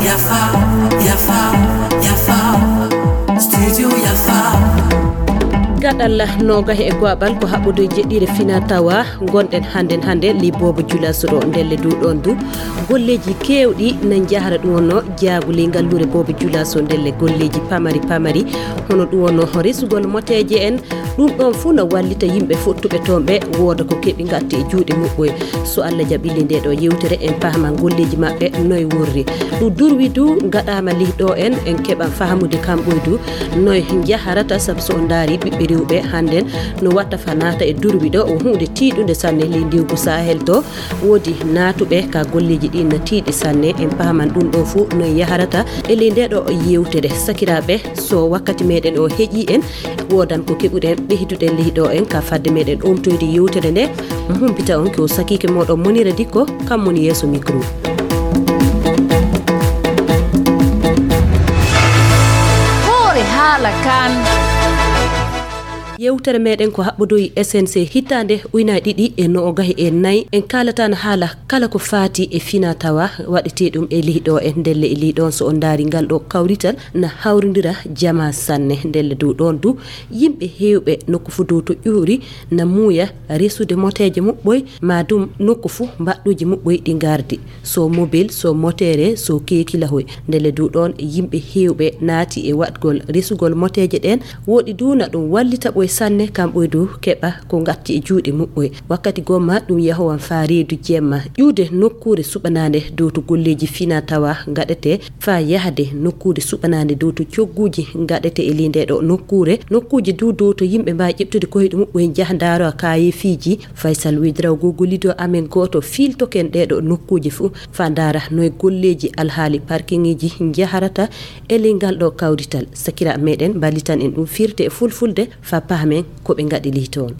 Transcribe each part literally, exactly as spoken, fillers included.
Yafa, yafa, yafa. Studio Yafa. Gaɗal noogahi e go'aɓal ko haɓɓodoy jeɗɗiire fina tawa. Ngonɗen hannden hannde li boobo julaso ɗo ndelle du ɗoon du. Golleeji keewɗi na njahara ɗum wonno jaagu ley ngalluure boobo julaso ndelle golleeji pamari pamari. Hono ɗum wonno resugol moteeje en. Ɗum ɗoon fuu na wallita yimɓe fottuɓe toon ɓe wooda ko keɓi ngatti e juuɗe muɓɓoy. So Allah jaɓi li nde ɗo yewtere en pahman golleeji maɓɓe noy worri. Ɗum durwi du gaɗaama lih ɗo en, en keɓan fahamude kamɓoy du noy njaharata, sabu so on ndaari ɓiɓɓe rewɓe hannden no watta fa naata e durwi ɗo, o huunde tiiɗunde sanne ley ndiwgu Sahel to. Woodi naatuɓe ka golleeji ɗin na tiiɗi sanne, en pahman ɗum ɗo fuu noy yaharata e ley nde ɗo yewtere. Sakiraaɓe, so wakkati meɗen o heƴi en, woodan ko keɓuɗen, ɓeyduɗen ley ɗo en ka fadde meɗen omtoyde yewtere nde. Humpita on ko sakiike moɗon Monira Dikko, kam woni yeeso micro. Hoore haala kan. Yewtere meɗen ko haɓɓodoyi S N C hitaande ujunaaji ɗiɗi e noogahi e nayi. En kaalatan haala kala ko faati e fina tawa waɗetee ɗum e leyɗo e ndelle e leyɗon. So on ndaari ngal ɗo kawrital na hawrindira jama sanne. Ndelle dow ɗon du yimɓe heewɓe nokku fuu dow to ƴuuri na muuya resude moteeje muɓɓoy, maa dum nokku fuu mbaɗɗuuji muɓɓoy ɗi ngardi. So mobil, so moteere, so keekilahoy. Ndelle du ɗon yimɓe heewɓe naati e waɗgol resugol moteeje ɗen. Woɗi du na ɗum wallita ɓoy sanne, kamɓoy du keɓa ko ngatti e juuɗe muɓɓoy. Wakkati gomma ɗum yahowan faa reedu jemma. Ƴuude nokkuure suɓanaande dow to golleeji fina tawa ngaɗete, faa yahde nokkuure suɓanaande dow to cogguuji ngaɗete e ley nde ɗo nokkuure. Nokkuuji du dow to yimɓe mbaawi ƴeɓtude koyɗe muɓɓoy njaha ndaaro kaayeefiiji. Faysal Wedrao gogolido amen gooto fiiltoken ɗee ɗo nokkuuji fuu. Faa ndaara noy golleeji alhaali parkingeeji njaharata e ley ngal ɗo kawrital. Sakiraaɓe meɗen mballitan en ɗum firte e fulfulde faa pahmen ko ɓe ngaɗi ley toon.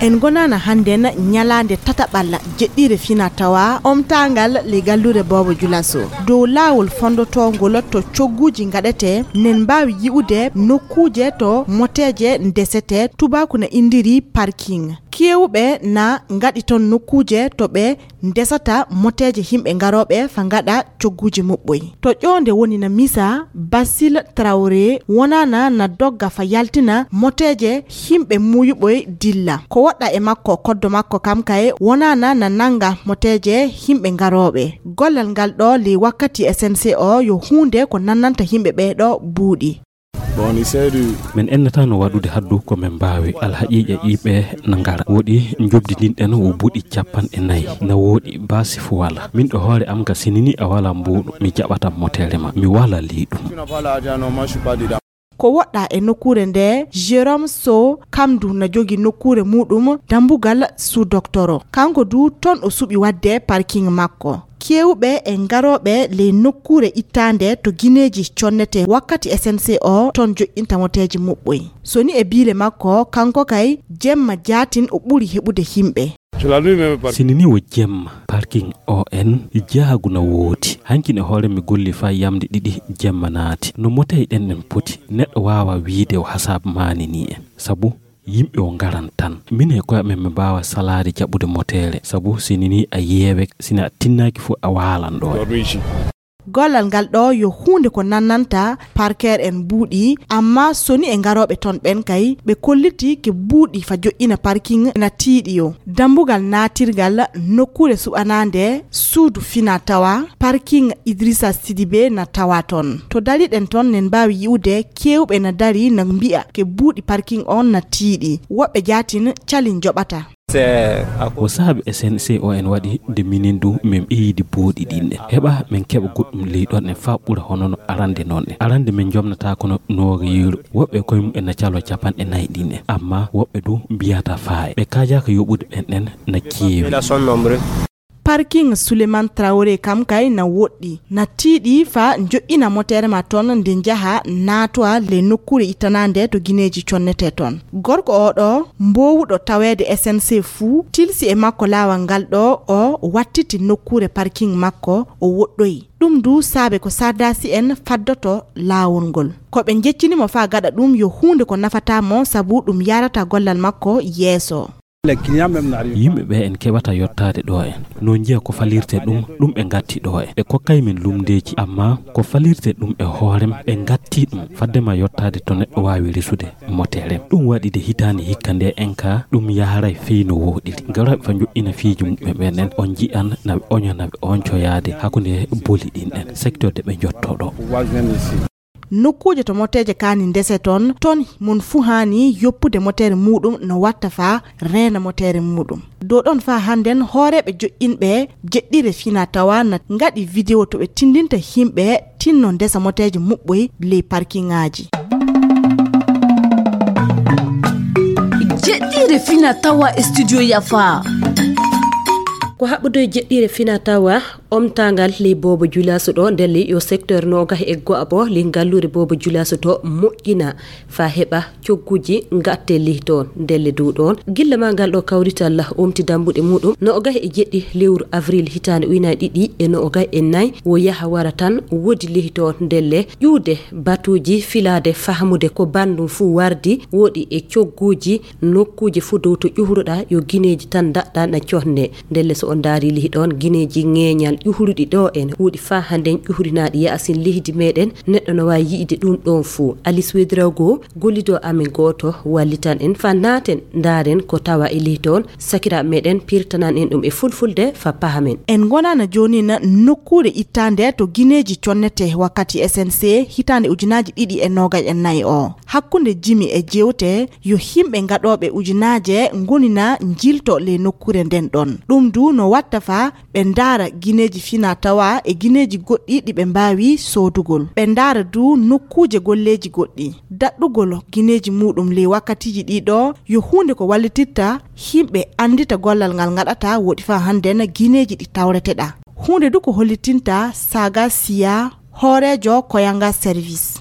En ngonaana hannden ñalaande tataɓal jeɗɗiire fina tawa omtaangal ley galluure Boobo Julaso. Dow laawol fonndotoongol to cogguuji ngaɗetee, nen mbaawi yi'ude nokkuuje to moteeje ndesetee, tubaaku na inndiri parking. Keewɓe na ngaɗi toon nokkuuje to ɓe ndesata moteeje yimɓe ngarooɓe faa ngaɗa cogguuji muɓɓoy. To ƴoonde woni na misa, Basil Traoré wonaana na dogga faa yaltina moteeje yimɓe muuyuɓoy dilla. Ko woɗɗaa e makko, koddo makko kam kay wonaana na nannga moteeje yimɓe ngarooɓe. Gollal ngal ɗo ley wakkati S N C o yo huunde ko nannanta yimɓe ɓee ɗo buuɗi. Bon, on essaie de Min ennataano waɗude haddu ko min mbaawi. Alhaqiiqa yimɓe na ngara. Woɗi njoɓdi ndin ɗen wo buuɗi capanɗe nayi. Na woɗi baasi fuu walaa. Min ɗo hoore am ga sinini a walaa mbuuɗu, mi jaɓataa moteere ma. Mi walaa ley ɗum. Tu n'as pas l'argent, non, moi, je suis pas dedans. Ko woɗɗaa e nokkuure nde, Jérôme Sow kam du na jogii nokkuure muuɗum dambugal sous-docteur. Kanko du toon o suɓi waɗde parking makko. Keewɓe e ngarooɓe ley nokkuure ittaande to gineeji connetee wakkati S N C o toon joƴƴinta moteeji muɓɓoy. So ni e biile makko, kanko kay jemma jaatin o ɓuri heɓude yimɓe. C'est la nuit même par- Sinini wo jemma, parking o en jaagu na woodi. Hanki ne hoore mi golli faa yamde ɗiɗi jemma naati. No motey ɗen ɗen poti, neɗɗo waawa wiide o hasaabu maani ni en. Sabu yimɓe o ngaran tan. Min e koye amen mi mbaawa salaade jaɓude moteere. Sabu sinini a yeewek, sina a tinnaaki fuu a waalan ɗo. Dormi ici. Gollal ngal ɗo yo huunde ko nannanta parker en buuɗi, amma so ni e ngarooɓe toon ɓen kay, ɓe kolliti ke buuɗi faa joƴƴina parking na tiiɗi yo. Dambugal naatirgal nokkuure suɓanaande suudu fina tawa, parking Idrissa Sidibé na tawa toon. To dariɗen toon, nen mbaawi yi'ude keewɓe na dari na mbi'a ke buuɗi parking on na tiiɗi. Woɓɓe jaatin cali njoɓata. Ko saabi S N C o en waɗi nde minin du min ɓeydi buuɗi ɗin ɗen. Heɓa min keɓa goɗɗum ley ɗon en faa ɓura hono no arande non en. Arande min jomnataako no nooga yeru. Woɓɓe koye mum en na calo capanɗe nayi ɗin en. Amma woɓɓe du mbiyata faa e. Ɓe kaajaaka yoɓude ɓen ɗen na keewi. Parking Souleymane Traoré kam kay na woɗɗi. Na tiiɗi fa joƴƴina moteere ma toon nde njaha naatowa le nokkuure ittanaande to gineeji connetee toon. Gorko oo ɗoo, mboowuɗo taweede S N C fuu, tilsi e makko laawol ngal ɗoo, o wattiti nokkuure parking makko, o woɗɗoyi. Ɗum du saabe ko sardasi en faddoto laawol ngol. Ko ɓe njeccini mo faa gaɗa ɗum yo huunde ko nafata mo, sabu ɗum yaarata gollal makko yeeso. Yimɓe ɓe en keɓata yottaade ɗo en. No njiya ko falirte ɗum, ɗum ɓe ngatti ɗo en. Ɓe kokkay min lumndeeji, amma ko falirte ɗum e hoorem, ɓe ngatti ɗum. Fadde ma yottaade to neɗɗo waawi resude moteere. Ɗum waɗi de hitaande hikka nde en ka, ɗum yaharay fii no wooɗiri. Garooɓe fa njoƴƴina fiiji muɓɓen ɓen en, on nji'an na ɓe oña, na ɓe oñcoyaade hakkunde boli ɗin en, secteur de ɓe njotto ɗo. Nokkuuje to moteeje kaani ndese toon, toon mon fuu haani yoppude moteere muuɗum no watta faa reena moteere muuɗum. Dow ɗoon faa hannden hooreeɓe joƴƴinɓe jeɗɗire fina tawa na ngaɗi video to ɓe tindinta himɓe tinno ndesa moteeje muɓɓoy ley parkingaaji. Jeɗɗire fina tawa e studio Yafa. Ko haɓɓude e jeɗɗire fina tawa, omtaangal ley boobo julaaso ɗo, ndelle yo secteur noogahi e go'abo ley ngalluure boobo julaaso to moƴƴina faa heɓa cogguuji ngatte ley toon. Ndelle dow ɗoon, gilla maa ngal ɗo kawrital omti dambuɗe muuɗum noogahi e jeɗɗi lewru avril hitaande ujunaaji ɗiɗi e noogahi e nayi, wo yaha wara tan woodi ley toon. Ndelle ƴuwde batuuji filaade fahmude ko banndum fuu wardi, woodi e cogguuji nokkuuje fuu dow to ƴuhruɗaa yo gineeji tan ndaɗɗaa na conne. Ndelle so on ndaari lihi ɗoon gineeji ŋeeñal ƴuhruɗi ɗo en, woodi faa hannden ƴuhrinaaɗi yaasin leydi meɗen, neɗɗo no waawi yi'ide ɗum ɗoon fuu. Alice Ouedraogo, gollido amen gooto, wallitan en faa naaten ndaaren ko tawa e lihi toon, sakiraaɓe meɗen pirtanan en ɗum e fulfulde faa pahamen. En ngonana jooni na nokkuure ittaande to gineeji connete wakkati S N C hitaande ujunaaji ɗiɗi e noogaji e nayi o. Hakkunde jimi e jeewte, yo himɓe gaɗooɓe ujunaaje ngonina njilto ley nokkuure nden ɗon. Ɗum du no watta faa ɓe ndaara gineeji fina tawa e gineeji goɗɗi ɗi ɓe mbaawi soodugol. Ɓe ndaara du nokkuuje golleeji goɗɗi. Daɗɗugol gineeji muuɗum ley wakkatiiji ɗii ɗoo yo huunde ko wallititta himɓe anndita gollal ngal ngaɗata woɗi faa hannden gineeji ɗi tawreteɗaa. Huunde du ko hollitinta Saga Siya, hooreejo Koyanga Service.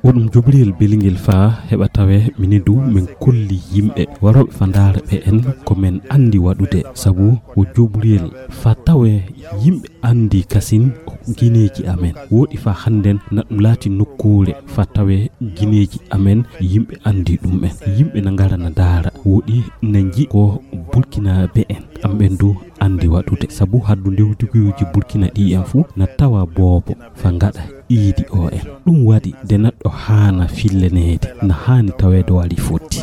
Ko ɗum jobriyel belingel faa heɓa tawe minin du min kolli yimɓe warooɓe faa ndaara ɓe en ko min anndi waɗude, sabu ko jobriyel faa tawe yimɓe anndi kasin gineeji amen. Woɗi faa hannden na ɗum laati nokkuure faa tawe gineeji amen yimɓe anndi ɗum en. Yimɓe na ngara na ndaara, woɗi na nji ko Burkinaaɓe en, kamɓen du anndi waɗude, sabu haddu ndewtiguuji Burkina ɗi en fuu na tawa boobo faa ngaɗa iidi o en. Ɗum waɗi de neɗɗo haana filleneede, na haani taweede waɗi fotti.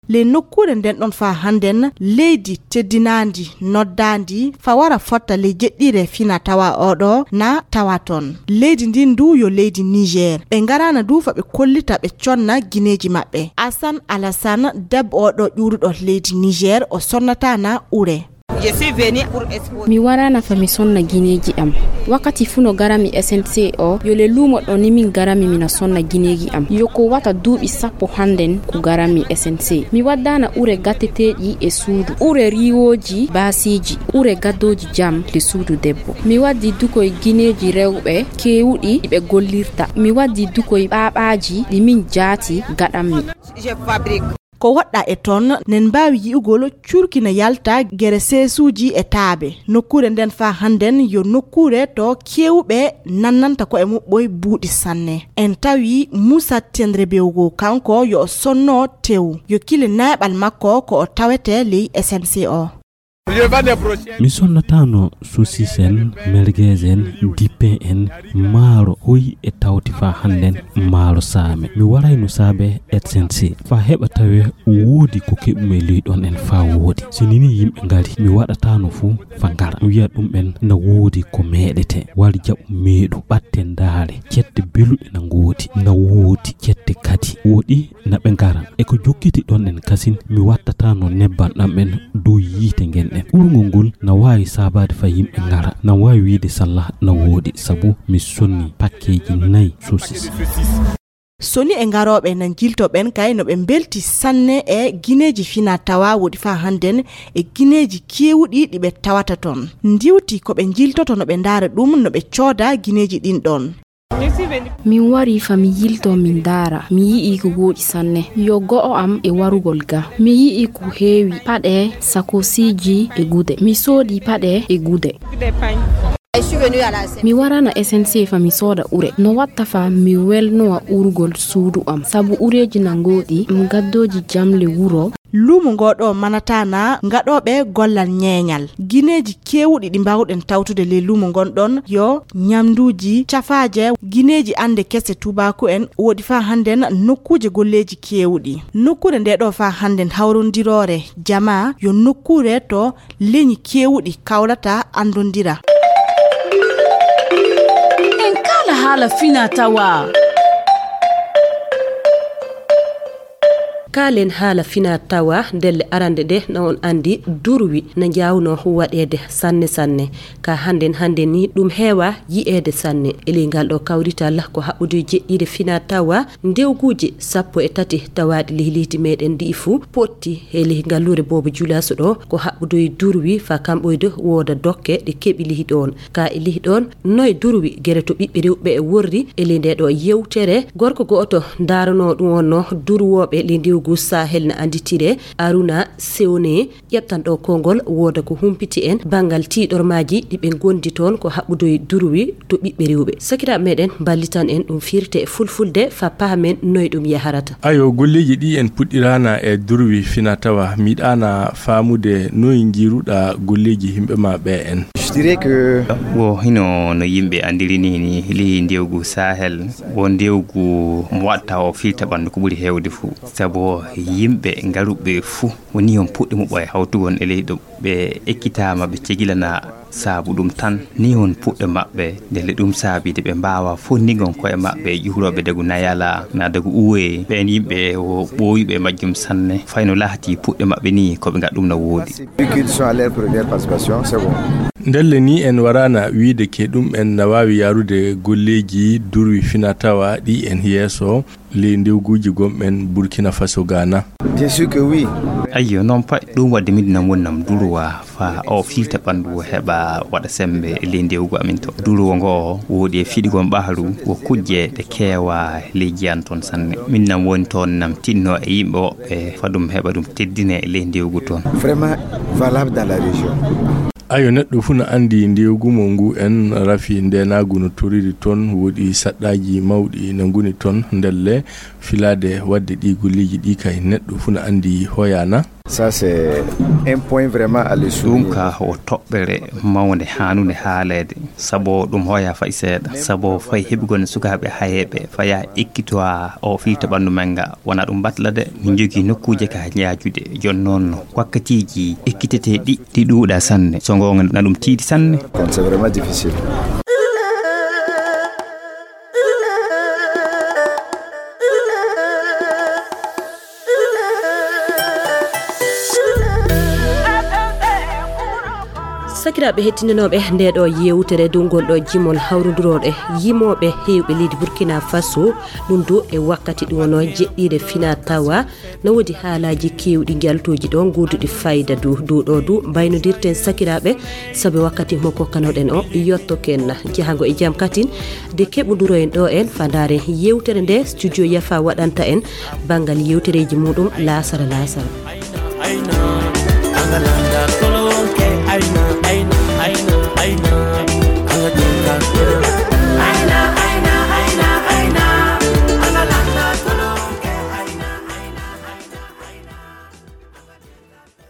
Ley nokkuure nden ɗon faa hannden, leydi teddinaandi, noddaandi, faa wara fotta ley jeɗɗire fina tawa oo ɗoo na tawa toon. Leydi ndin du yo leydi Niger. Ɓe ngaraana du faa ɓe kollita ɓe conna gineeji maɓɓe. Asan Alasan, debbo oo ɗoo ƴuuruɗo leydi Niger, o sonnataana ure. Mi waraana faa mi sonna gineeji am. Wakkati fuu no garami S N C o, yo le luumo ɗo ni min garami mina sonna gineeji am. Yo ko wata duuɓi sappo hannden ko garami S N C. Mi waddaana ure gatteteeɗi e suudu, ure riiwooji baasiiji, ure gaddooji jam le suudu debbo. Mi waddi dukoy gineeji rewɓe keewuɗi ɗi ɓe gollirta. Mi waddi dukoy ɓaaɓaaji ɗi min jaati gaɗammi. Ko woɗɗaa e toon, nen mbaawi yi'ugol curki na yalta gere seesuuji e taabe. Nokkuure nden faa hannden yo nokkuure to keewuɓe nannanta ko'e muɓɓoy buuɗi sanne. En tawi Muusa Tendrebewgo, kanko yo o sonno tew, yo kile neeɓal makko ko o tawete ley S N C o. Mi sonnataano sosis en, merguez en, dipin en, maaro hoy e tawti faa hannden maaro saame. Mi warayno saabe S N C faa heɓa tawe woodi ko keɓumi e ley ɗon en faa woodi. Si nii yimɓe ngari, mi waɗataano fuu faa ngara. Mi wi'a ɗum'en na woodi ko meeɗete, wari jaɓu meeɗu, ɓatte ndaare, cette beluɗe na ngoodi, na woodi cette kadi. Woɗi na ɓe ngara. E ko jokkiti ɗon en kasin, mi wattataano nebban ɗam en dow yiite ngen en. Urngol ngol na waawi saabaade faa yimɓe ngara. Na waawi wiide salla na woodi, sabu mi sonni pakkeeji nay sosis. Soni e ngarooɓe na njilto ɓen kay no ɓe mbelti sanne e gineeji fina tawa woɗi faa hannden e gineeji keewuɗi ɗi ɓe tawata ton. Ndiwti ko ɓe njiltoto no ɓe ndaara ɗum no ɓe cooda gineeji ɗin ɗon. Min wari fa mi yilto min ndaara, mi yi'i ko wooɗi sanne. Yo go'o am e warugol ga. Mi yi'i ko heewi paɗe, sakosiiji e gude. Mi soodi paɗe e gude. Mi warana S N C fa mi sooda ure. No watta fa mi welnowa urugol suudu am. Sabu ureeji na ngooɗi, m gaddooji jamle wuro. Luumo ngoo ɗoo manataana ngaɗooɓe gollal ñeeñal. Gineeji keewuɗi ɗi mbaawɗen tawtude ley luumo ngon ɗon yo ñamnduuji cafaaje, gineeji annde kese tuubaaku en, woɗi faa hannden nokkuuje golleeji keewuɗi. Nokkuure ndee ɗoo faa hannden hawrondiroore jamaa yo nokkuure to leñi keewuɗi kawlata anndondira. En kaala haala fina tawa. Kaalen haala fina tawa ndelle arande ɗe na on anndi durwi na njaawno waɗeede sanne sanne. Ka hannden hannden ni ɗum heewa yi'eede sanne. E ley ngal ɗo kawrital ko haɓɓude jeɗɗiire fina tawa ndewguuji sappo e tati tawaaɗi ley leydi meɗen ndi fuu potti e ley ngalluure boobo julaaso ɗo ko haɓɓudoye durwi fa kamɓoyde wooda dokke ɗe keɓi ley ɗoon. Ka e ley ɗoon noye durwi gere to ɓiɓɓe rewɓe e worri e ley nde ɗo yewtere gorko gooto ndaranoo ɗum on no durwooɓe ley ndewgu Sahel na annditire Aruna Sewne. Ƴettan ɗo konngol wooda ko humpiti en banngal tiiɗormaaji ɗi ɓe ngondi toon ko haɓɓudoye durwi to ɓiɓɓe rewɓe. Sakiraaɓe meɗen mballitan en ɗum firte e fulfulde fa pahamen noye ɗum yaharata. Ayo, golleeji ɗi en puɗɗiraana e durwi fina tawa miɗaana faamude noye njiiruɗa golleeji yimɓe ma ɓe en. Je dirais que wo hino no yimɓe andiri ni ni li ndewgu Sahel wo ndewgu mo watta o filta ɓandu ko ɓuri heewde fuu. Sabu yimɓe ngaruɓe fuu woni on puɗɗi muɓɓo e hawtugol e leyɗo ɓe ekkitaama ɓe cegilana saabu ɗum tan ni on puɗɗe maɓɓe ndelle ɗum saabide ɓe mbaawa fonndigon koye maɓɓe ƴuurooɓe dagu nayala na dagu uwe ɓeen yimɓe o ɓooyuɓe e majjum sanne fayno lahati puɗɗe maɓɓe ni ko ɓe ngaɗ ɗum na woodi. Ndelle ni en waraana wiide ke ɗum en na waawi yarude golleeji durwi fina tawa ɗi en yeeso ley ndewguuji gomɓen Burkina Faso Ghana. Bien sûr que oui. Ayyo noon pay ɗum waɗde min nam wonnam durowa fa o filta ɓanndu o heɓa waɗa semmbe e ley ndewgu amin to durowo ngo woodi e fiɗigol ɓahru wo kujje ɗe keewa ley jiyan toon sanne min nam woni toon nam tinno e yimɓe woɓɓe fa ɗum heɓa ɗum teddine e ley ndewgu toon. Vraiment valable dans la région. Ayo neɗɗo fuu no anndi ndewgu mo ngu en rafi ndeenaagu no toriri toon woodi saɗɗaaji mawɗi no nguni toon ndelle filaade waɗde ɗi golleeji ɗi kay neɗɗo fuu no anndi hoyaana. Ça c'est un point vraiment à le ɗum ka o toɓɓere mawnde haanunde haaleede sabo ɗum hoya fay seeɗa sabo fay heɓugol sukaaɓe hayeeɓe faya ekkitowa o fiita ɓanndu men nga wona ɗum batla de min jogii nokkuuje ka yaajude jooni noon wakkatiiji ekkitetee ɗi ɗi ɗuuɗa sanne so ngoonga na ɗum tiiɗi sanne. Sakiraaɓe hettindinooɓe nde ɗo yewtere dow ngol ɗo jimol hawrondurooɗe yimooɓe heewɓe leydi Burkina Faso ɗum du e wakkati ɗum wonoo jeɗɗiire fina tawa no woodi haalaaji keewɗi njaltooji ɗo ngooduɗi fayda du dow ɗo du mbaynodirten sakiraaɓe sabu wakkati mo kokkanoɗen o yottoken jahango e jam katin de keɓondiroyen ɗo en fa ndaaren yewtere nde studio yafa waɗanta en banngal yewtereeji muɗum laasara laasara.